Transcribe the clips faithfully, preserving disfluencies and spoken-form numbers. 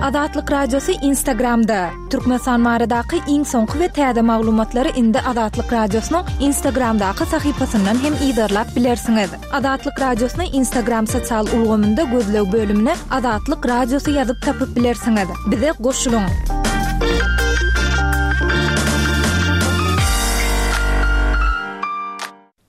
Azatlyk Radiosy Instagramda. Türkmenistan baradaky iň soňky we täze maglumatlary indi Azatlyk Radiosynyň Instagramdaky sahypasyndan hem yzarlap bilersiňiz. Azatlyk Radiosyny Instagram sosial ulgamynda gözleg bölümine Azatlyk Radiosy ýazyp tapyp bilersiňiz. Bize goşulyň.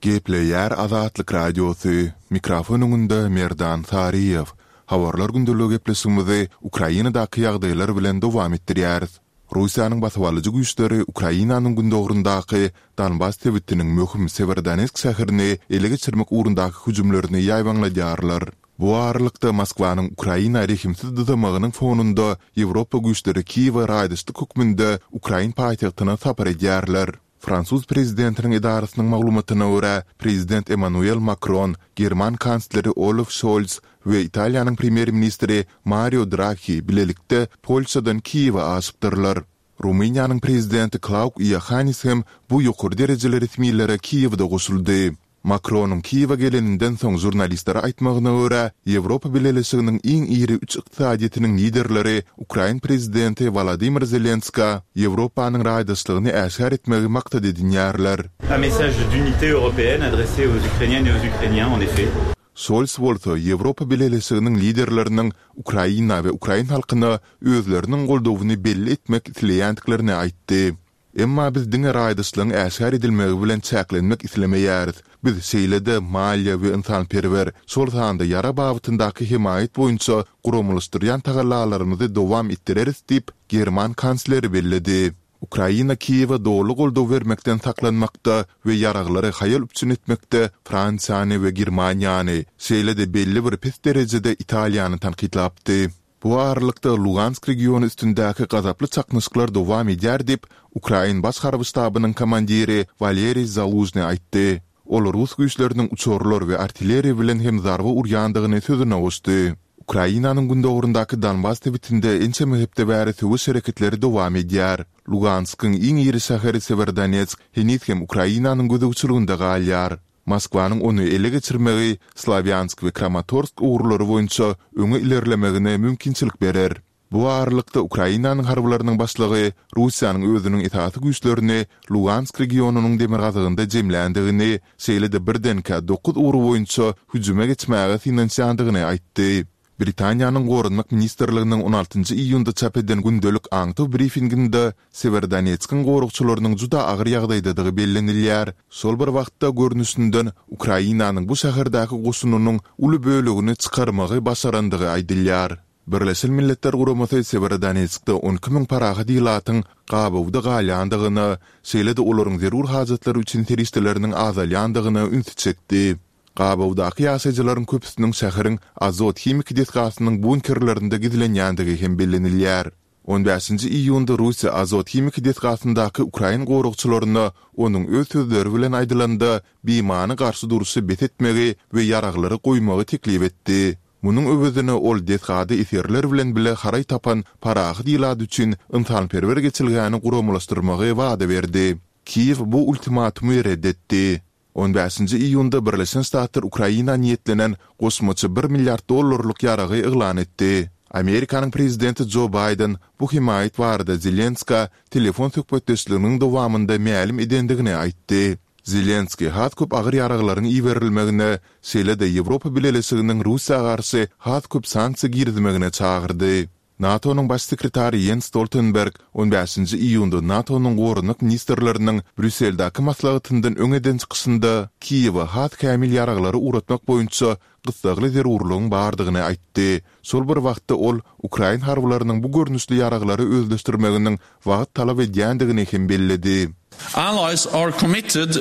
Gepleýär Azatlyk Radiosy, mikrofon öňünde Merdan Saryýew. Habarlar gündeligi gepleşigimizi Ukrainadaky ýagdaýlar bilen dowam etdirýäris. Russiýanyň basybalyjy güýçleri Ukrainanyň gündogaryndaky Donbas sebitiniň möhüm Sewerodonetsk şäherini ele geçirmek ugrundaky hüjümlerini ýaýbaňladýarlar. Bu aralykda, Moskwanyň Ukraina rehimsiz dyzamagynyň fonunda Ýewropa güýçleri Kiýewe raýdaşlyk hökmünde ukrain paýtagtyna sapar edýärler. Fransuz prezidentiniň edarasynyň maglumatyna görä, prezident Emmanuel Makron, german kansleri Olaf Şolz we Italiýanyň premýer-ministri Mario Draghi bilelikde Polşadan Kiýewe aşypdyrlar. Rumyniýanyň prezidenti Klauk Iohannis hem bu ýokary derejeli resmilere Kiýewde goşuldy. Makronyň Kiýewe geleninden soň žurnalistlere aýtmagyna görä, Ýewropa Bileleşiginiň iň iri üç ykdysadyýetiniň liderleri ukrain prezidenti Wolodymyr Zelenskä Ýewropanyň raýdaşlygyny äşgär etmegi maksat edinýärler. Un message d'unité européenne adressé aux Ukrainiennes et aux Ukrainiens, en effet. Şols bolsa Ýewropa Bileleşiginiň liderleriniň Ukraina we ukrain halkyna özleriniň goldawyny belli etmek isleýändiklerini aýtdy. Emma biz diňe raýdaşlygyň äşgär edilmegi bilen çäklenmek islemeýäris. Biz şeýle-de maliýe we ynsanperwer, şol sanda ýarag babatyndaky hemaýat boýunça guramalaşdyrýan tagallalarymyzy dowam etdireris diýip, german kansleri belledi. Ukraina Kiýewe doly goldaw bermekden saklanmakda we ýaraglary haýal üpjün etmekde Fransiýany we Germaniýany, şeýle-de belli bir pes derejede Italiýany tankytlapdy. Bu aralykda, Lugansk regiony üstündäki gazaply çaknyşyklar dowam edýär diýip, ukrain Baş harby ştabynyň komandiri Waleriý Zalužnyý aýtdy. Ol rus güýçleriniň uçarlar we artilleriýa bilen hem zarba urýandygyny sözüne goşdy. Ukrainanyň gündogaryndaky Donbas sebitinde ençeme hepde bäri söweş hereketleri dowam edýär. Luganskyň iň iri şäheri Sewerodonetsk heniz hem Ukrainanyň gözegçiliginde galýar. Moskwanyň ony ele geçirmegi Slawýansk we Kramatorsk ugurlary boýunça öňe ilerlemegine mümkinçilik berer. Bu aralykda, Ukrainanyň harbylarynyň başlygy Russiýanyň özüniň esasy güýçlerini Lugansk regionynyň demirgazygynda jemländigini, şeýle-de birdenkä dokuz ugur boýunça hüjüme geçmäge synanyşýandygyny aýtdy. Britaniýanyň Goranmak ministrliginiň on altynjy iýunda çap eden gündelik aňtaw brifinginde Sewerodonetskiň goragçylarynyň juda agyr ýagdaýdadygy bellenilýär, şol bir wagtda görnüşinden Ukrainanyň bu şäherdäki goşunynyň uly bölegini çykarmagy başarandygy aýdylýar. Birleşen Milletler Guramasy Sewerodonetskde on iki müň parahat ilatyň gabawda galýandygyna, şeýle-de olaryň zerur hajatlary üçin serişdeleriniň azalýandygyna ünsi çekdi. Gabawdaky ýaşaýjylaryň köpüsiniň şäheriň Azot himiki desgasynyň bunkerlerinde gizlenýändigi hem bellenilýär. On bäşinji iýunda Russiýa Azot himiki desgasyndaky ukrain goragçylaryna, onuň öz sözleri bilen aýdylanda, bimany garşy durşy bes etmegi we ýaraglary goýmagy teklip etdi. Munuň öwezine ol desgada esgerler bilen bile haraý tapan parahat ilat üçin ynsanperwer geçelgäni guramalaşdyrmagy wada berdi. Kiýew bu ultimatumy ret etdi. On bäşinji iýunda Birleşen Ştatlar Ukraina niýetlenen goşmaça bir milliard dollarlyk ýaragy yglan etdi. Amerikanyň prezidenti Jo Baýden bu hemaýat barada Zelenskä telefon söhbetdeşliginiň dowamynda mälim edendigini aýtdy. Zelenskiý has köp agyr ýaraglaryň iberilmegine, şeýle-de Ýewropa Bileleşiginiň Russiýa garşy has köp sanksiýa girizmegine çagyrdy. NATO-nyň Baş sekretary Ýens Stoltenberg on bäşinji iýunda NATO-nyň goranmak ministrleriniň Brýusseldäki maslahatyndan öň eden çykyşynda Kiýewe has kämil ýaraglary ugratmak boýunça gyssagly zerurlygyň bardygyny aýtdy. Şol bir wagtda ol ukrain harbylarynyň bu görnüşli ýaraglary özleşdirmeginiň wagt talap edýändigini hem belledi. Allies are committed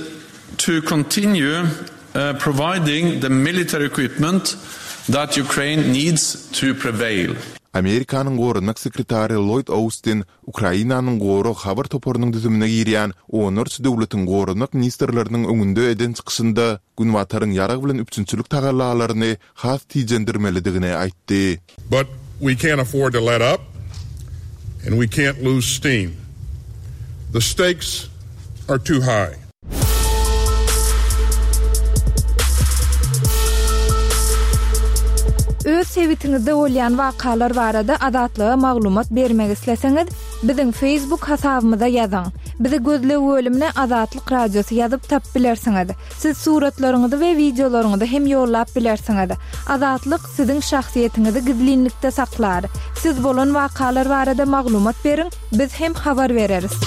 to continue providing the military equipment that Ukraine needs to prevail. Amerikanyň Goranmak sekretary Lloýd Austin Ukrainanyň Gorag habar toparynyň düzümine girýän onlarça döwletiň goranmak ministrleriniň öňünde eden çykyşynda Günbataryň ýarag bilen üpjünçilik tagallalaryny has tijendirmelidigini aýtdy. But we can't afford to let up and we can't lose steam. The stakes are too high. Öz sebitiňizde bolýan wakalar barada Azatlyga maglumat bermek isleseňiz, biziň Facebook hasabymyza ýazyň. Bizi gözleg bölümine Azatlyk Radiosy ýazyp tapyp bilersiňiz. Siz suratlaryňyzy we wideolaryňyzy hem ýollap bilersiňiz. Azatlyk siziň şahsyýetiňizi gizlinlikde saklar. Siz bolan wakalar barada maglumat beriň, biz hem habar bereris.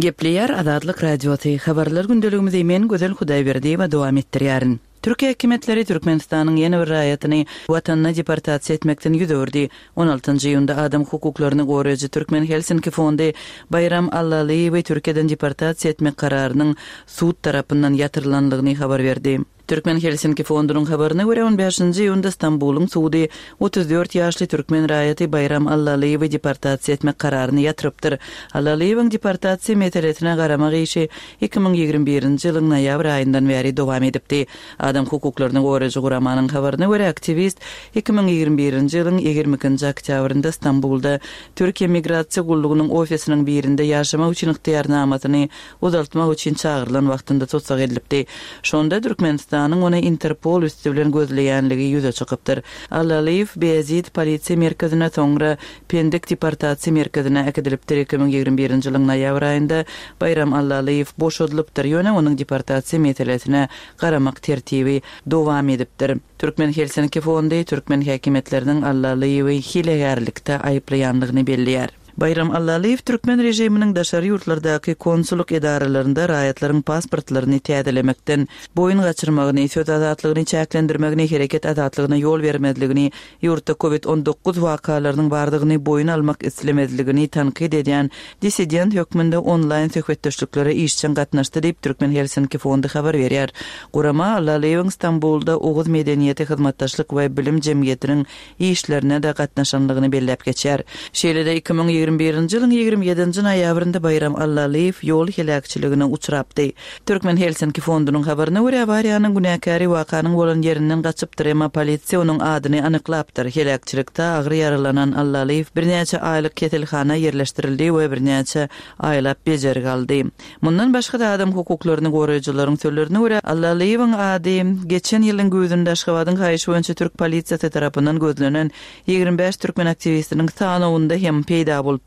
Gepleýär Azatlyk Radiosy habarlar gündeligimizi men Gözel Hudaýberdiýewa dowam etdirýärin. Türkiýe hökümetleri Türkmenistanyň ýene bir raýatyny watanyna deportasiýa etmekden ýüz öwürdi. on altynjy iýunda adam hukuklaryny goraýjy Türkmen Helsinki fondy Baýram Allalyýewi Türkiýeden deportasiýa etmek kararynyň sud tarapyndan ýatyrylanlygyny habar berdi. Türkmen Helsinki fondunyň habaryna görä on bäşinji iýunda Stambulyň sudy otuz dört ýaşly türkmen raýaty Baýram Allalyýewi deportasiýa etmek kararyny ýatyrypdyr. Allalyýewiň deportasiýa meselesine garamak işi iki müň ýigrimi birinji ýylyň noýabr aýyndan bäri dowam edipdi. Adam hukuklaryny goraýjy guramanyň habaryna görä aktiwist iki müň ýigrimi birinji ýylyň ýigrimi ikinji oktýabrynda Stambulda Türkiýe Migrasiýa gullugynyň ofisiniň birinde ýaşamak üçin ygtyýarnamasyny uzaltmak üçin çagyrylan wagtynda tussag edilipdi. Şonda Türkmenistanyň ony Interpol üstü bilen gözleýänligi ýüze çykypdyr. Allalyýew Beyazid polisiýa merkezine, soňra Pendik deportasiýa merkezine äkidilipdir. iki müň ýigrimi birinji ýylyň noýabr aýynda Baýram Allalyýew boşadylypdyr. Ýöne onuň deportasiýa meselesine garamak tertibi dowam edipdir. Türkmen Helsinki fondy türkmen häkimiýetleriniň Allalyýewi hilegärlikde aýyplaýanlygyny belleýär. Baýram Allalyýew türkmen režiminiň daşary ýurtlardaky konsullyk edaralarynda raýatlaryň pasportlaryny täzelemekden, boýun gaçyrmagyny, söz azatlygyny çäklendirmegini, hereket azatlygyna ýol bermezligini, ýurtda COVID on dokuz wakalarynyň bardygyny boýun almak islemezligini tankyt edýän dissident hökmünde onlaýn söhbetdeşliklere işjeň gatnaşdy diýip Türkmen Helsinki fondy habar berýär. Gurama Allalyýewiň Stambulda Oguz medeniýeti hyzmatdaşlyk we bilim jemgyýetiniň işlerine de gatnaşanlygyny belläp geçýär. Şeýle-de iki müň ýigrimi birinji ýylyň ýigrimi ýedinji noýabrynda Baýram Allalyýew ýol heläkçiligine uçrapdy. Türkmen Helsinki fondunyň habaryna görä awariýanyň günäkäri wakanyň bolan ýerinden gaçypdyr, emma polisiýa onuň adyny anyklapdyr. Heläkçilikde agyr ýaralanan Allalyýew birnäçe aýlyk keselhana ýerleşdirildi we birnäçe aýlap bejergi aldy. Mundan başga da adam hukuklaryny goraýjylaryň sözlerine görä Allalyýewiň ady geçen ýylyň güýzünde Aşgabadyň haýyşy boýunça türk polisiýasy tarapyndan gözlenen ýigrimi bäş türkmen aktiwistiniň sanawynda hem peýda bolupdy.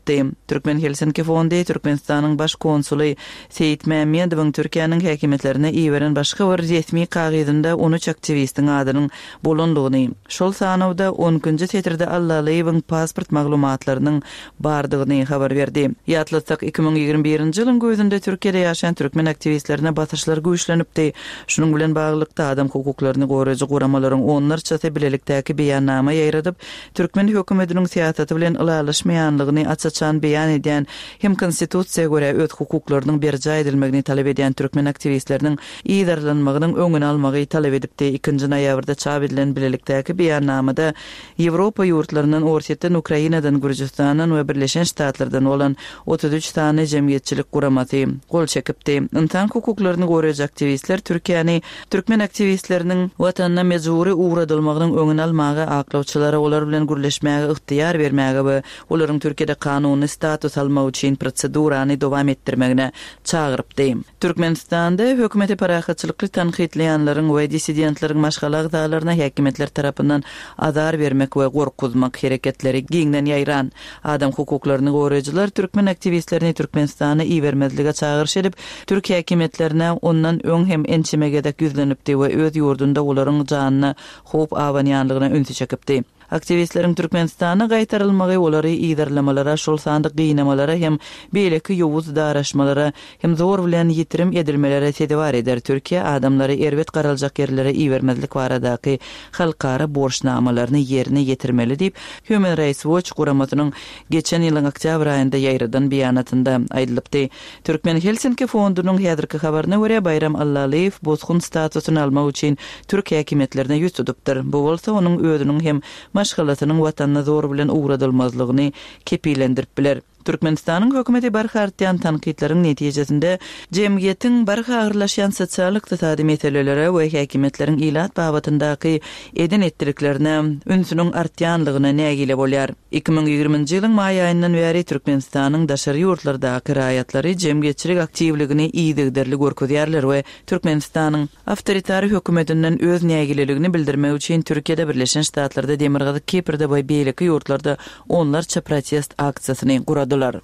Türkmen Helsinki fondy Türkmenistanyň baş konsuly Seýit Mämmedowyň Türkiýäniň häkimiýetlerine iberen başga bir resmi kagyzynda on üç aktiwistiň adynyň bolanlygyny, şol sanawda on ikinji setirde Allalyýewiň pasport maglumatlarynyň bardygyny habar berdi. Ýatlatsak iki müň ýigrimi birinji ýylyň güýzünde Türkiýede ýaşaýan türkmen aktiwistlerine basyşlar güýçlenipdi. Şunuň bilen baglylykda adam hukuklaryny goraýjy guramalaryň onlarçasy bilelikdäki beýannama ýaýradyp, türkmen hökümetiniň syýasaty bilen ylalaşmaýanlygyny aç-açan beýan edýän hem konstitusiýa görä öz hukuklarynyň berjaý edilmegini talap edýän türkmen aktiwistleriniň yzarlanmagynyň öňüni almagy talap edipdi. Ikinji noýabrda çap edilen bilelikdäki beýannamada Ýewropa ýurtlaryndan, Orsýetden, Ukrainadan, Gürjüstandan we Birleşen Ştatlardan bolan otuz üç sany jemgyýetçilik guramasy gol çekipdi. Ynsan hukuklaryny goraýjy aktiwistler Türkiýäni türkmen aktiwistleriniň watanyna mejbury ugradylmagynyň öňüni almaga, aklawçylara olar bilen gürleşmäge ygtyýar bermäge we olaryň Türkiýede kanuny status almak üçin prosedurany dowam etdirmegine çagyrypdy. Türkmenistanda hökümeti parahatçylykly tankytlaýanlaryň we dissidentleriň maşgala agzalaryna häkimiýetler tarapyndan azar bermek we gorkuzmak hereketleri giňden ýaýran. Adam hukuklaryny goraýjylar türkmen aktiwistlerini Türkmenistana ibermezlige çagyryş edip, türk häkimiýetlerine ondan öň hem ençeme gezek ýüzlenipdi we öz ýurdunda olaryň janyna howp abanýanlygyna ünsi çekipdi. Aktiwistleriň Türkmenistana gaýtarylmagy olary yzarlamalara, şol sanda gynamalara hem beýleki ýowuz daraşmalara hem zor bilen ýitirim edilmelere sezewar eder. Türkiýe adamlary erbet garaljak ýerlere ibermezlik baradaky halkara borçnamalaryny ýerine ýetirmeli diýip Human Rights Watch guramasynyň geçen ýylyň oktýabr aýynda ýaýradan beýanatynda aýdylypdy. Türkmen Helsinki fondunyň häzirki habaryna görä Baýram Allalyýew bosgun statusyny almak üçin türk häkimiýetlerine ýüz tutupdyr. Bu bolsa onuň özüniň hem maşgalasynyň watanyna zor bilen ugradylmazlygyny kepilendirip biler. Türkmenistanyň hökümeti barha artýan tankytlaryň netijesinde jemgyýetiň barha agyrlaşýan sosial-ykdysady meselelere we häkimiýetleriň ilat babatyndaky eden etdiliklerine ünsüniň artýanlygyna nägile bolýar. iki müň ýigriminji ýylyň maý aýyndan bäri Türkmenistanyň daşary ýurtlardaky raýatlary jemgyýetçilik aktiwligini yzygiderli görkezýärler we Türkmenistanyň awtoritar hökümetinden öz nägileligini bildirmek üçin Türkiýede, Birleşen Ştatlarda, Demirgazyk Kiprde we beýleki ýurtlarda onlarça protest aksiýasyny guradylar.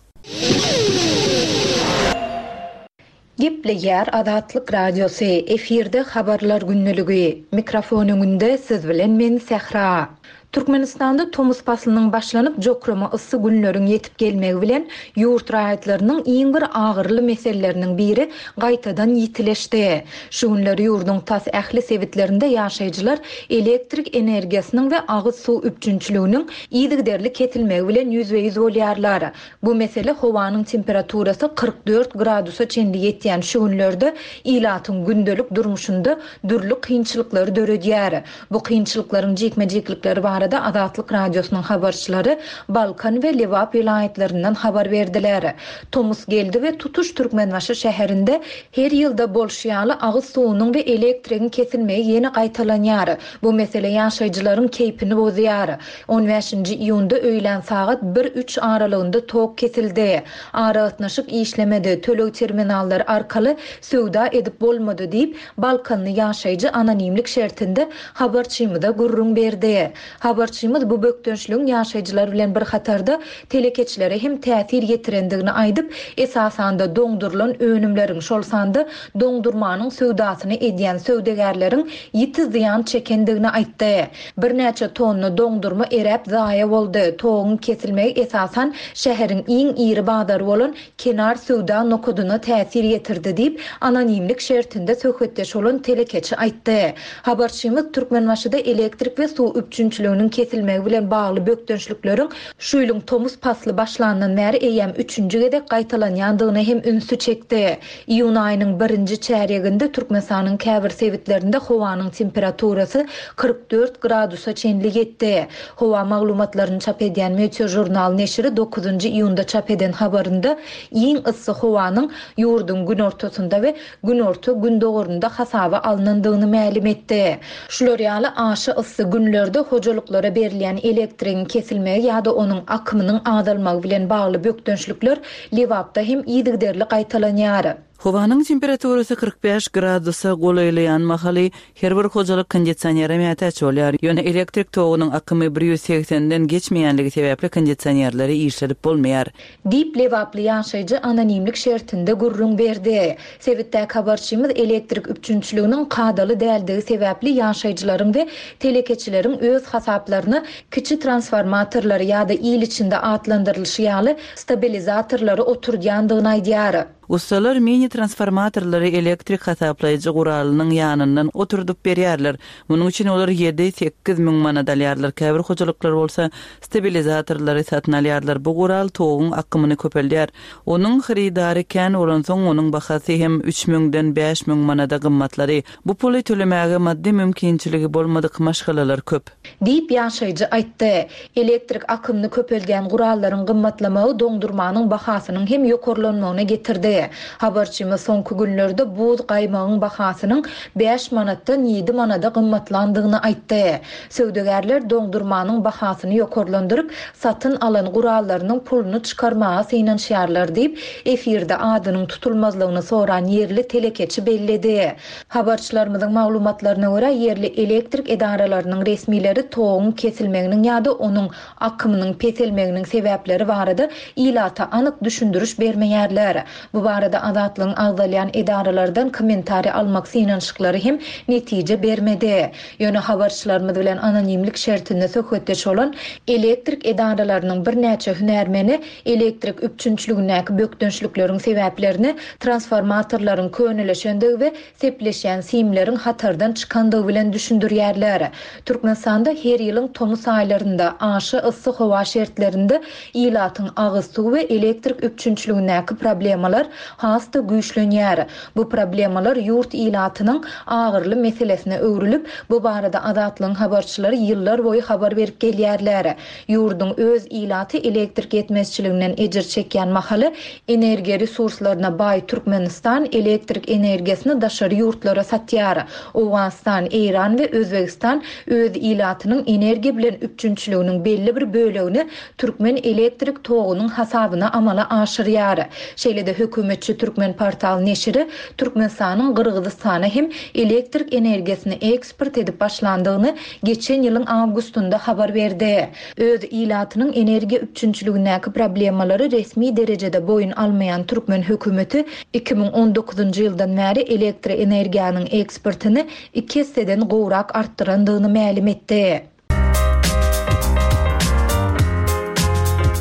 Gepleýär Azatlyk Radiosy, efirde habarlar gündeligi. Mikrofon öňünde siz bilen men Sähra. Türkmenistanda tomus paslynyň başlanyp jokrama yssy günleriň ýetip gelmegi bilen ýurt raýatlarynyň iň bir agyrly meseleleriniň biri gaýtadan ýitileşdi. Şu günler ýurduň tas ähli sebitlerinde ýaşaýjylar elektrik energiýasynyň we agyz suw üpjünçiliginiň yzygiderli kesilmegi bilen ýüzbe-ýüz bolýarlar. Bu mesele howanyň temperaturasy kyrk dört gradusa çenli ýetýän şu günlerde ilatyň gündelik durmuşynda dürli kynçylyklary döredýär. Bu kynçylyklaryň jikme-jiklikleri barada Azatlyk Radiosynyň habarçylary Balkan we Lebap welaýatlaryndan habar berdiler. Tomus geldi we tutuş Türkmenbaşy şäherinde her ýylda bolşy ýaly agyz suwunyň we elektrigiň kesilmegi ýene gaýtalanýar. Bu mesele ýaşaýjylaryň keýpini bozýar. on bäşinji iýunda öýlän sagat bir üç aralygynda tok kesildi. Aragatnaşyk işlemedi, töleg terminallary arkaly söwda edip bolmady diýip, Balkanly ýaşaýjy anonimlik şertinde habarçymyza gürrüň berdi. Habarçymyz bu bökdençligiň ýaşaýjylar bilen bir hatarda telekeçilere hem täsir ýetirendigini aýdyp, esasanda doňdurylan önümleriň, şol sanda doňdurmanyň söwdasyny edýän söwdagärleriň ýiti zyýan çekendigini aýtdy. Birnäçe tonna doňdurma eräp zaýa boldy. Toguň kesilmegi esasan şäheriň iň iri bazary bolan Kenar söwda nokadyna täsir ýetirdi diýip, anonimlik şertinde söhbetdeş bolan telekeçi aýtdy. Habarçymyz Türkmenbaşyda elektrik we suw üpjünçiliginiň kesilmegi bilen bagly bökdençlikleriň şu ýylyň tomus pasly başlandan bäri eýýäm üçünji gezek gaýtalanýandygyna hem ünsi çekdi. Iýun aýynyň birinji çärýeginde Türkmenistanyň käbir sebitlerinde howanyň temperaturasy kyrk dört gradusa çenli ýetdi. Howa maglumatlaryny çap edýän Meteo Journal neşiri dokuzynjy iýunda çap eden habarynda iň yssy howanyň ýurduň günortasynda we günorta gündogarynda hasaba alnandygyny mälim etdi. Şular ýaly aşa yssy günlerde hojalyklara berilýän elektrigiň kesilmegi ýa-da onuň akymynyň azalmagy bilen bagly bökdençlikler Lebapda hem yzygiderli gaýtalanýar. Howanyň temperaturasy kyrk bäş gradusa golaýlaýan mahaly her bir hojalyk kondisionere mätäç bolýar. Ýöne elektrik togunyň akymy bir ýüz segsenden geçmeýänligi sebäpli kondisionerleri işledip bolmaýar. Diýip Lebaply ýaşaýjy anonimlik şertinde gürrüň berdi. Sebitdäki habarçymyz elektrik üpjünçiliginiň kadaly däldigi sebäpli ýaşaýjylaryň we telekeçileriň öz hasaplaryna kiçi transformatorlary ýa-da il içinde atlandyrylyşy ýaly stabilizatorlary oturdýandygyny aýdýar. Ustalar mini transformatorlary elektrik hasaplaýjy guralynyň ýanyndan oturdyp berýärler. Munuň üçin olar ýedi sekiz müň manat alýarlar. Käbir hojalyklar bolsa stabilizatorlary satyn alýarlar. Bu gural toguň akymyny köpeldýär. Onuň hyrydary kän bolansoň onuň bahasy hem üç müňden bäş müň manada gymmatlary. Bu puly tölemäge maddy mümkinçiligi bolmadyk maşgalalar köp. Diýip ýaşaýjy aýtdy. Elektrik akymyny köpeldýän gurallaryň gymmatlamagy doňdurmanyň bahasynyň hem ýokarlanmagyna getirdi. Habarçymyz soňky günlerde buz gaýmagyň bahasynyň bäş manatdan ýedi manada gymmatlandygyny aýtdy. Söwdagärler doňdurmanyň bahasyny ýokarlandyryp, satyn alan gurallarynyň puluny çykarmaga synanyşýarlar diýip, efirde adynyň tutulmazlygyny soran ýerli telekeçi belledi. Habarçylarymyzyň maglumatlaryna görä ýerli elektrik edaralarynyň resmileri toguň kesilmeginiň ýa-da onuň akymynyň peselmeginiň sebäpleri barada ilata anyk düşündiriş bermeýärler. Bu barada Azatlygyň agzalýan edaralardan kommentariý almak synanyşyklary hem netije bermedi. Ýöne habarçylarymyz bilen anonimlik şertinde söhbetdeş bolan elektrik edaralarynyň birnäçe hünärmeni elektrik üpjünçiligindäki bökdençlikleriň sebäplerini transformatorlaryň köneleşendigi we sepleşýän simleriň hatardan çykandygy bilen düşündirýärler. Türkmenistanda her ýylyň tomus aýlarynda aşa yssy howa şertlerinde ilatyň agyz suw we elektrik üpjünçiligindäki problemalar has-da güýçlenýär. Bu problemalar ýurt ilatynyň agyrly meselesine öwrülip, bu barada Azatlygyň habarçylary ýyllar boýy habar berip gelýärler. Ýurduň öz ilaty elektrik ýetmezçiliginden ejir çekýän mahaly energiýa resurslaryna baý Türkmenistan elektrik energiýasyny daşary ýurtlara satýar. Owganystan, Eýran we Özbegistan öz ilatynyň energiýa bilen üpjünçiliginiň belli bir bölegini türkmen elektrik togunyň hasabyna amala aşyrýar. Şeýle-de hökümetçi Türkmen portal neşiri Türkmenistanyň Gyrgyzystana hem elektrik energiýasyny eksport edip başlandygyny geçen ýylyň awgustynda habar berdi. Öz ilatynyň energiýa üpjünçiligindäki problemalary resmi derejede boýun almaýan türkmen hökümeti iki müň on dokuzynjy ýyldan bäri elektroenergiýanyň eksportyny iki esseden gowrak artdyrandygyny mälim etdi.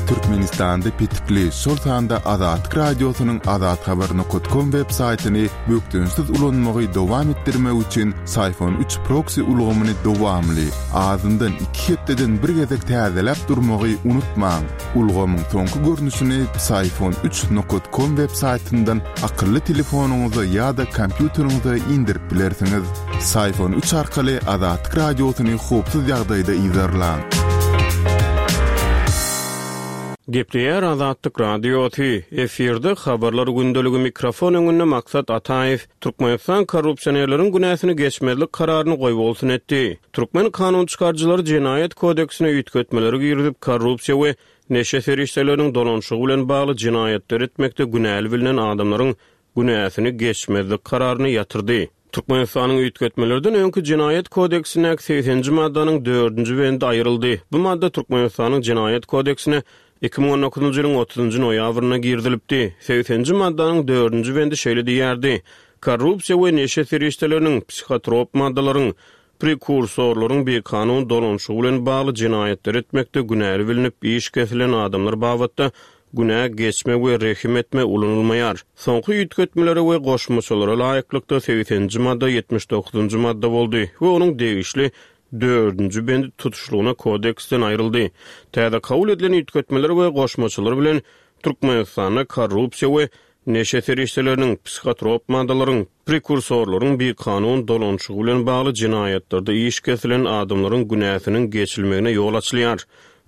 Türkmenistanda petikli, şol sanda Azatlyk Radiosynyň azathabar nokta com web saýtyny bökdençsiz ulanmagy dowam etdirmek üçin Syfon üç proxy ulgamyny dowamly, azyndan iki hepdeden bir gezek täzeläp durmagy unutmaň. Ulgamyň soňky görnüşini Syfon üç nokta com web saýtyndan akylly telefonyňyza ýa-da kompýuteriňize indirip bilersiňiz. Syfon üç arkaly Azatlyk Radiosyny howpsuz ýagdaýda yzarlaň. Gepleýär Azatlyk Radiosy, efirde habarlar gündeligi mikrofon öňünde Maksat Ataýew, Türkmenistan korrupsionerleriň günäsini geçmezlik kararyny goýbolsun etdi. Türkmen kanun çykaryjylary jenaýat kodeksine üýtgetmeleri girizip, korrupsiýa we neşe serişdeleriniň dolanşygy bilen bagly jenaýatlar etmekde günäli bilinen adamlaryň günäsini geçmezlik kararyny ýatyrdy. Türkmenistanyň üýtgetmelerden öňki jenaýat kodeksindäki segsenji maddanyň dördünji bendi aýryldy. Bu madda Türkmenistanyň jenaýat kodeksine iki müň on dokuzynjy ýylyň otuzynjy noýabrynda girizilipdi. Segsenji maddanyň dördünji bendi şeýle diýýärdi: Korrupsiýa we neşe serişdeleriniň, psihotrop maddalaryň, prekursorlaryň bikanun dolanşygy bilen bagly jenaýatlar etmekde günäli bilinip iş kesilen adamlar babatda günä geçme we rehim etme ulanylmaýar. Soňky üýtgetmelere we goşmaçalara laýyklykda segsenji madda ýetmiş dokuzynjy madda boldy we onuň degişli dördünji bendi tutuşlygyna kodeksden aýryldy. Täze kabul edilen üýtgetmeler we goşmaçalar bilen Türkmenistanda korrupsiýa we neşe serişdeleriniň, psihotrop maddalaryň, prekursorlaryň bikanun dolanşygy bilen bagly jenaýatlarda iş kesilen adamlaryň günäsiniň geçilmegine ýol açylýar.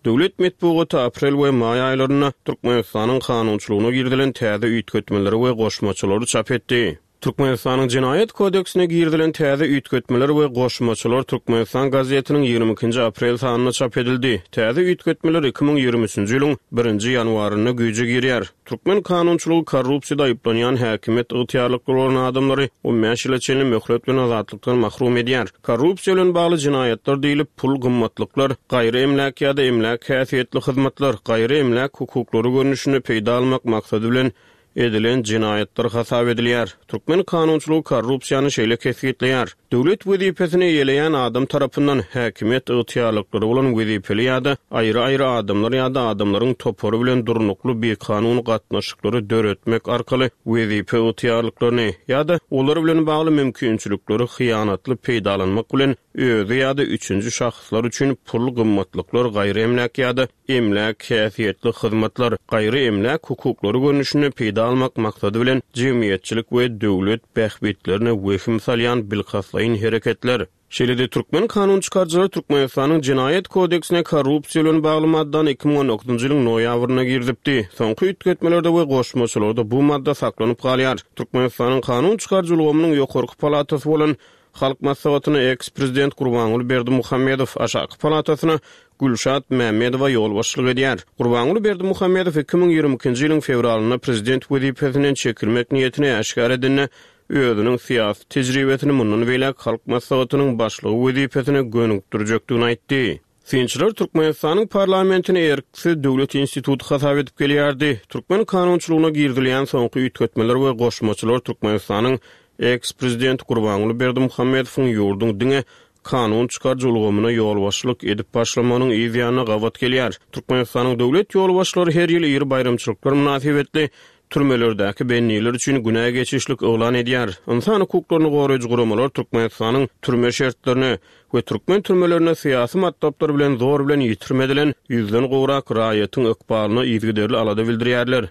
Döwlet metbugaty aprel we maý aýlarynda Türkmenistanyň kanunçylygyna girizilen täze üýtgetmeleri we goşmaçalary çap etdi. Türkmenistanyň Jenaýat kodeksine girizilen täze üýtgetmeler we goşmaçalar Türkmenistan gazetiniň ýigrimi ikinji aprel sanynda çap edildi. Täze üýtgetmeler iki müň ýigrimi üçünji ýylyň birinji ýanwarynda güýje girýär. Türkmen kanunçylygy korrupsiýada aýyplanýan häkimiýet ygtyýarlyklary bolan adamlary on bäş ýyla çenli möhlet bilen azatlykdan mahrum edýär. Korrupsiýa bilen bagly jenaýatlar diýlip pul gymmatlyklar, gaýry emläk ýa-da emläk häsiýetli hyzmatlar, gaýry emläk hukuklary görnüşinde peýda almak maksady bilen edilen jenaýatlar hasap edilýär. Türkmen kanunçylygy korrupsiýany şeýle kesgitleýär. Döwlet wezipesini eýeleýän adam tarapyndan häkimiýet ygtyýarlyklary bolan wezipeli ýa-da aýry-aýry adamlar ýa-da adamlaryň topary bilen durnukly bikanun gatnaşyklary döretmek arkaly wezipe ygtyýarlyklaryny ýa-da olar bilen bagly mümkinçilikleri hyýanatly peýdalanmak bilen özi ýa-da üçünji şahslar üçin pul gymmatlyklar, gaýry emläk ýa-da emläk häsiýetli hyzmatlar, gaýry emläk hukuklary görnüşinde peýda almak maksady bilen jemgyýetçilik we döwlet bähbitlerine wehim salýan bilkastlaýyn hereketler. Şeýle-de Türkmen kanun çykaryjylary Türkmenistanyň Jenaýat kodeksine korrupsiýa bilen bagly maddany iki müň on dokuzynjy ýylyň noýabrynda girizipdi. Soňky üýtgetmelerde we goşmaçalarda bu madda saklanyp galýar. Türkmenistanyň kanun çykaryjy ulgamynyň ýokarky palatasy bolan Halk Maslahatyna ex-prezident Gurbanguly Berdimuhamedow, aşaky palatasyna Gülşat Mämmedowa ýolbaşçylyk edýär. Gurbanguly Berdimuhamedow iki müň ýigrimi ikinji ýylyň fewralynda prezident wezipesinden çekilmek niýetini äşgär edende, özüniň syýasy tejribesini mundan beýläk Halk Maslahatynyň başlygy wezipesine gönükdirjekdigini aýtdy. Synçylar Türkmenistanyň parlamentini erksiz döwlet instituty hasap edip gelýärdi. Türkmen kanunçylygyna girizilýän soňky üýtgetmeler we goşmaçalar Türkmenistanyň ex-prezident Gurbanguly Berdimuhamedowyň ýurduň diňe kanun çykaryjy ulgamyna ýolbaşçylyk edip başlamagynyň yz ýanyna gabat gelýär. Türkmenistanyň döwlet ýolbaşçylary her ýyl iri baýramçylyklar mynasybetli türmelerdäki bendiler üçin günä geçişlik yglan edýär. Ynsan hukuklaryny goraýjy guramalar Türkmenistanyň türme şertlerine we türkmen türmelerine syýasy matlaplar bilen zor bilen ýitirim edilen ýüzden gowrak raýatyň ykbalyna yzygiderli alada bildirýärler.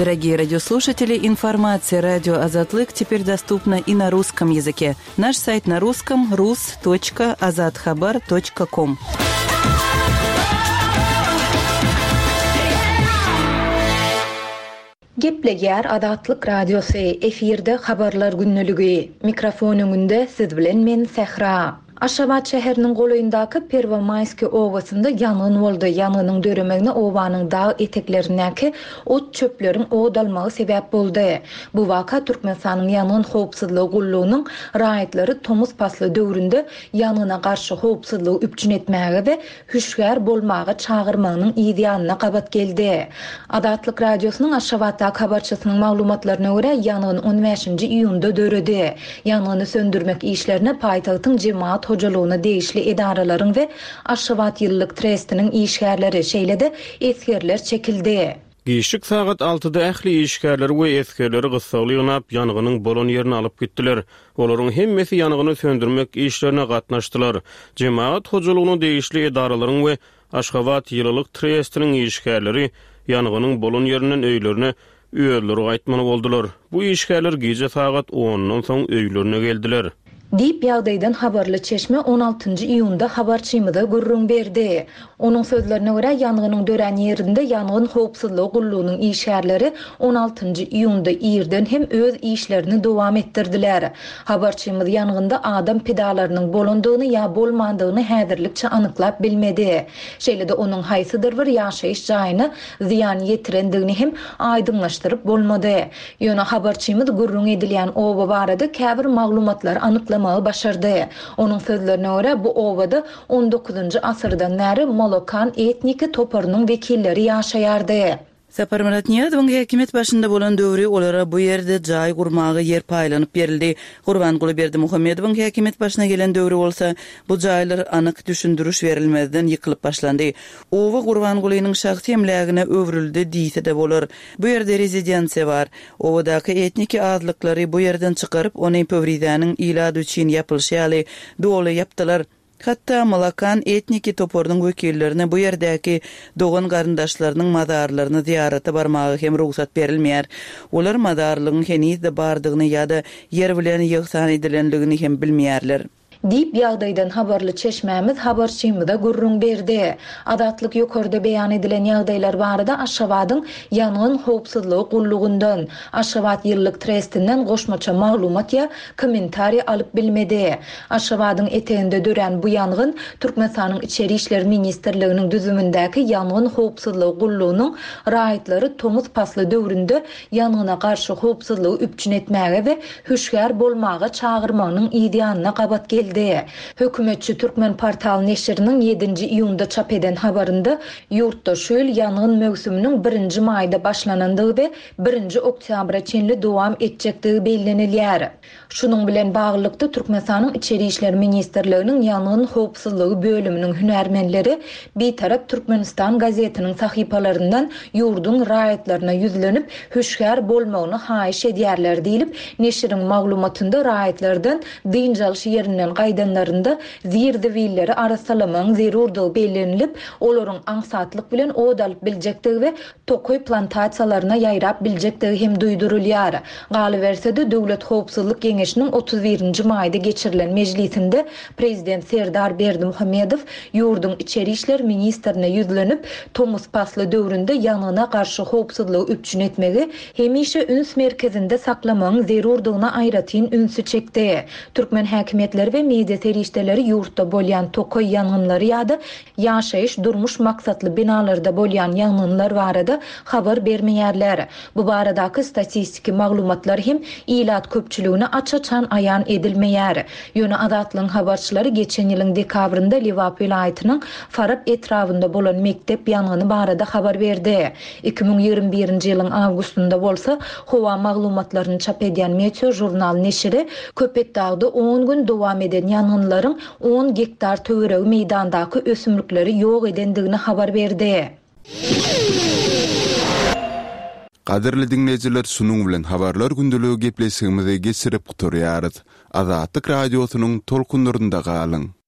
Дорогие радиослушатели, информация радио Азатлык теперь доступна и на русском языке. Наш сайт на русском rus.azathabar.com. Gepleýär Azatlyk Radiosy, efirde habarlar günlügi. Mikrofon öňünde siz bilen men Sähra. Aşgabat şäheriniň golaýyndaky Perwomaýski obasynda ýangyn boldy. Ýangynyň döremegine obanyň dag eteklerindäki ot çöpleriň od almagy sebäp boldy. Bu waka Türkmenistanyň ýangyn howpsuzlygy gullugynyň raýatlary tomus pasly döwründe ýangyna garşy howpsuzlygy üpjün etmäge we hüşgär bolmaga çagyrmagynyň yz ýanyna gabat geldi. Azatlyk Radiosynyň Aşgabatdaky habarçysynyň maglumatlaryna görä, ýangyn on bäşinji iýunda döredi. Ýangyny söndürmek işlerine paýtagtyň jemaat hojalygyna degişli edaralaryň we Aşgabat ýyllyk trestiniň işgärleri, şeýle-de esgerler çekildi. Giçlik sagat altyda ähli işgärleri we esgerleri gyssagly ýygnap, ýangynyň bolan ýerine alyp gitdiler. Olaryň hemmesi ýangyny söndürmek işlerine gatnaşdylar. Jemaat hojalygyna degişli edaralaryň we Aşgabat ýylylyk trestiniň işgärleri ýangynyň bolan ýerinden öýlerine özleri gaýtmaly boldular. Bu işgärler gije sagat ondan soň öýlerine geldiler. Diýip ýagdaýdan habarly çeşme on altynjy iýunda habarçymyza gürrüň berdi. Onuň sözlerine görä, ýangynyň dörän ýerinde ýangyn howpsuzlygy gullugynyň işgärleri on altynjy iýunda irden hem öz işlerini dowam etdirdiler. Habarçymyz ýangynda adam pidalarynyň bolandygyny ýa bolmandygyny häzirlikçe anyklap bilmedi. Şeýle-de onuň haýsydyr bir ýaşaýyş jaýyna zyýan ýetirendigini hem aýdyňlaşdyryp bolmady. Ýöne habarçymyz gürrüň edilýän oba barada käbir maglumatlary anyklamagy başardy. Onuň sözlerine görä, bu obada on dokuzynjy asyrdan bäri Molokan etniki toparynyň wekilleri ýaşaýardy. Saparmyrat Nyýazowyň häkimiýet başynda bolan döwri olara bu ýerde jaý gurmaga ýer paýlanyp berildi. Gurbanguly Berdimuhamedowyň häkimiýet başyna gelen döwri bolsa, bu jaýlar anyk düşündiriş berilmezden ýykylyp başlandy. Oba Gurbangulynyň şahsy emlägine öwrüldi diýse-de bolar. Bu ýerde rezidensiýa bar. Obadaky etniki azlyklary bu ýerden çykaryp, ony Pöwrizäniň ilady üçin ýapylyşy ýaly doly ýapdylar. Hatda Malakan etniki toparynyň wekillerine bu ýerdäki dogan garyndaşlarynyň mazarlaryny zyýarata barmaga hem rugsat berilmeýär. Olar mazarlygyň henizde bardygyny ýa-da ýer bilen ýygsan edilenligini hem bilmeýärler. Diýip ýagdaýdan habarly çeşmämiz habarçymyza gürrüň berdi. Azatlyk ýokarda beýan edilen ýagdaýlar barada Aşgabadyň ýangyn howpsuzlygy gullugyndan, Aşgabat ýyllyk trestinden goşmaça maglumat ýa kommentariý alyp bilmedi. Aşgabadyň eteginde dörän bu ýangyn Türkmenistanyň Içeri İşler Ministrliginiň düzümindäki ýangyn howpsuzlygy gullugynyň raýatlary tomus pasly döwründe ýangyna garşy howpsuzlygy üpjün etmäge we hüşgär bolmaga çagyrmagynyň yz ýanyna gabat geldi. Hökümetçi Türkmen portal neşiriniň ýedinji iýunda çap eden habarynda ýurtda şu ýyl ýangyn möwsüminiň birinji maýda başlanandygy we birinji oktýabra çenli dowam etjekdigi bellenilýär. Şunuň bilen baglylykda Türkmenistanyň Içeri İşler Ministrliginiň ýangyn howpsuzlygy bölüminiň hünärmenleri Bitarap Türkmenistan gazetiniň sahypalaryndan ýurduň raýatlaryna ýüzlenip, hüşgär bolmagyny haýyş edýärler diýilip, neşiriň maglumatynda raýatlardan dynç alyş ýerinden gaýdanlarynda zir-zibilleri arassalamagyň zerurdygy bellenilip, olaryň aňsatlyk bilen od alyp biljekdigi we tokaý plantasiýalaryna ýaýrap biljekdigi hem duýdurylýar. Galyberse-de Döwlet Howpsuzlyk Geňeşiniň otuz birinji maýda geçirilen mejlisinde Prezident Serdar Berdimuhamedow ýurduň Içeri İşler Ministrine ýüzlenip, tomus pasly döwründe ýangyna garşy howpsuzlygy üpjün etmegi hemişe üns merkezinde saklamagyň zerurdygyna aýratyn ünsi çekdi. Türkmen häkimiýetleri we media serişdeleri ýurtda bolýan tokaý ýangynlary ýa-da ýaşaýyş durmuş maksatly binalarda bolýan ýangynlar barada habar bermeýärler. Bu baradaky statistiki maglumatlar hem ilat köpçüligine aç-açan aýan edilmeýär. Ýöne Azatlygyň habarçylary geçen ýylyň dekabrynda Lebap welaýatynyň Farap etrabynda bolan mekdep ýangyny barada habar berdi. iki müň ýigrimi birinji ýylyň awgustynda bolsa howa maglumatlaryny çap edýän Meteo jurnal neşiri Köpetdagda on gün dowam eden ýangynlaryň on gektar töweregi meýdandaky ösümlikleri ýok edendigini habar berdi. Gadyrly dinleýjiler, şunuň bilen habarlar gündeligi gepleşigimizi geçirip gutarýarys. Azatlyk radiosynyň tolkunlarynda galyň.